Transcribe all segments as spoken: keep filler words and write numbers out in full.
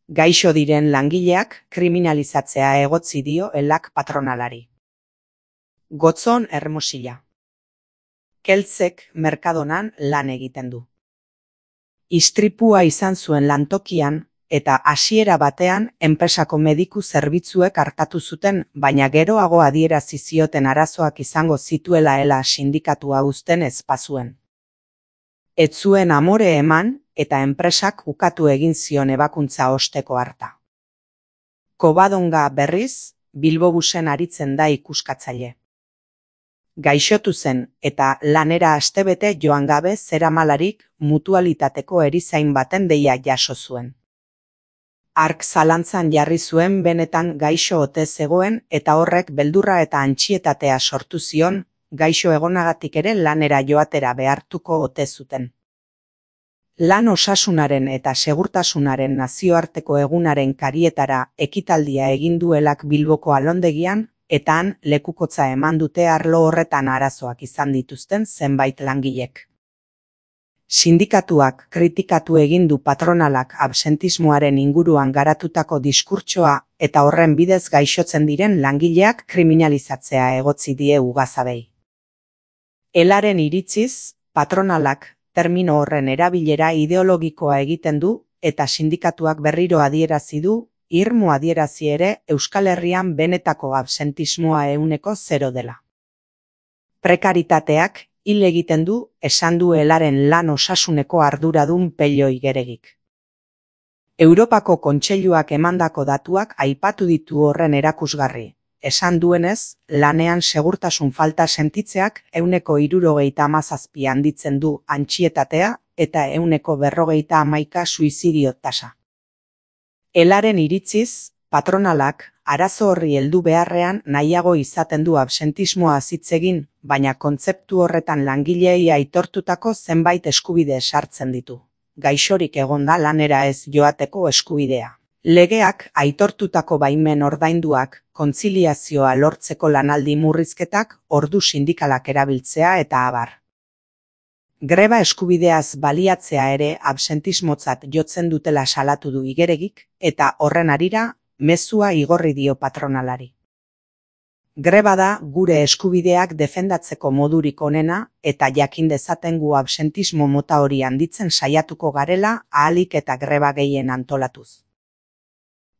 Gaixo diren langileak kriminalizatzea egotzi dio elak patronalari. Gotzon Hermosilla. Keltzek Mercadonan lan egiten du. Istripua izan zuen lantokian eta hasiera batean enpresako mediku zerbitzuek artatu zuten, baina geroago adierazi zioten arazoak izango zituela ela sindikatua uzten ez bazuen. Ez zuen amore eman eta enpresak ukatu egin zion ebakuntza osteko harta. Kobadonga berriz, Bilbobusen aritzen da ikuskatzaile. Gaixotu zen eta lanera astebete joan gabe zeramalarik mutualitateko erizain baten deia jaso zuen. Hark zalantzan jarri zuen benetan gaixo ote zegoen eta horrek beldurra eta antsietatea sortu zion, gaixo egonagatik ere lanera joatera behartuko ote zuten. Lan osasunaren eta segurtasunaren nazioarteko egunaren karietara ekitaldia egin duelak Bilboko alondegian, eta han lekukotza eman dute arlo horretan arazoak izan dituzten zenbait langilek. Sindikatuak kritikatu egin du patronalak absentismoaren inguruan garatutako diskurtsoa eta horren bidez gaixotzen diren langileak kriminalizatzea egotzi die ugazabei. Elaren iritziz, patronalak termino horren erabilera ideologikoa egiten du eta sindikatuak berriro adierazi du, irmo adierazi ere Euskal Herrian benetako absentismoa ehuneko zero dela. Prekaritateak hil egiten du, esan du elaren lan osasuneko arduradun Pello Igeregik. Europako Kontseiluak emandako datuak aipatu ditu horren erakusgarri. Esan duenez, lanean segurtasun falta sentitzeak ehuneko hirurogeita hamazazpi handitzen du antsietatea eta ehuneko berrogeita hamaika suizidio tasa. Elaren iritziz, patronalak arazo horri heldu beharrean nahiago izaten du absentismoa hitz egin, baina kontzeptu horretan langileei aitortutako zenbait eskubide sartzen ditu. Gaixorik egonda lanera ez joateko eskubidea. Legeak aitortutako baimen ordainduak, kontziliazioa lortzeko lanaldi murrizketak, ordu sindikalak erabiltzea eta abar. Greba eskubideaz baliatzea ere absentismotzat jotzen dutela salatu du Igeregik eta horren harira mezua igorri dio patronalari. Greba da gure eskubideak defendatzeko modurik onena eta jakin dezaten gu absentismo mota hori handitzen saiatuko garela ahalik eta greba gehien antolatuz.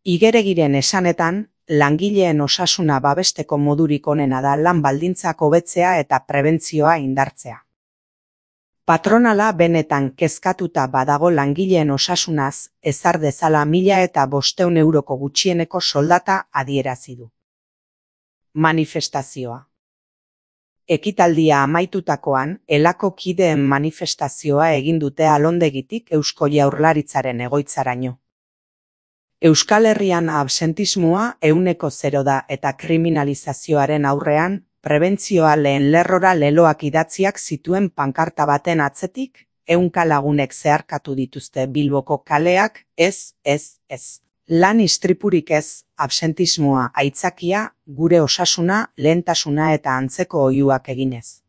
Igeregiren esanetan, langileen osasuna babesteko modurik onena da lan baldintzak hobetzea eta prebentzioa indartzea. Patronala benetan kezkatuta badago langileen osasunaz, ezar dezala mila eta bosteun euroko gutxieneko soldata adierazi du. Manifestazioa. Ekitaldia amaitutakoan, elako kideen manifestazioa egin dute alondegitik Eusko Jaurlaritzaren egoitzaraino. Euskal Herrian absentismoa ehuneko zero da eta kriminalizazioaren aurrean, prebentzioa lehen lerrora leloak idatziak zituen pankarta baten atzetik, ehunka lagunek zeharkatu dituzte Bilboko kaleak, ez, ez, ez. Lan istripurik ez, absentismoa aitzakia, gure osasuna, lehentasuna eta antzeko oihuak eginez.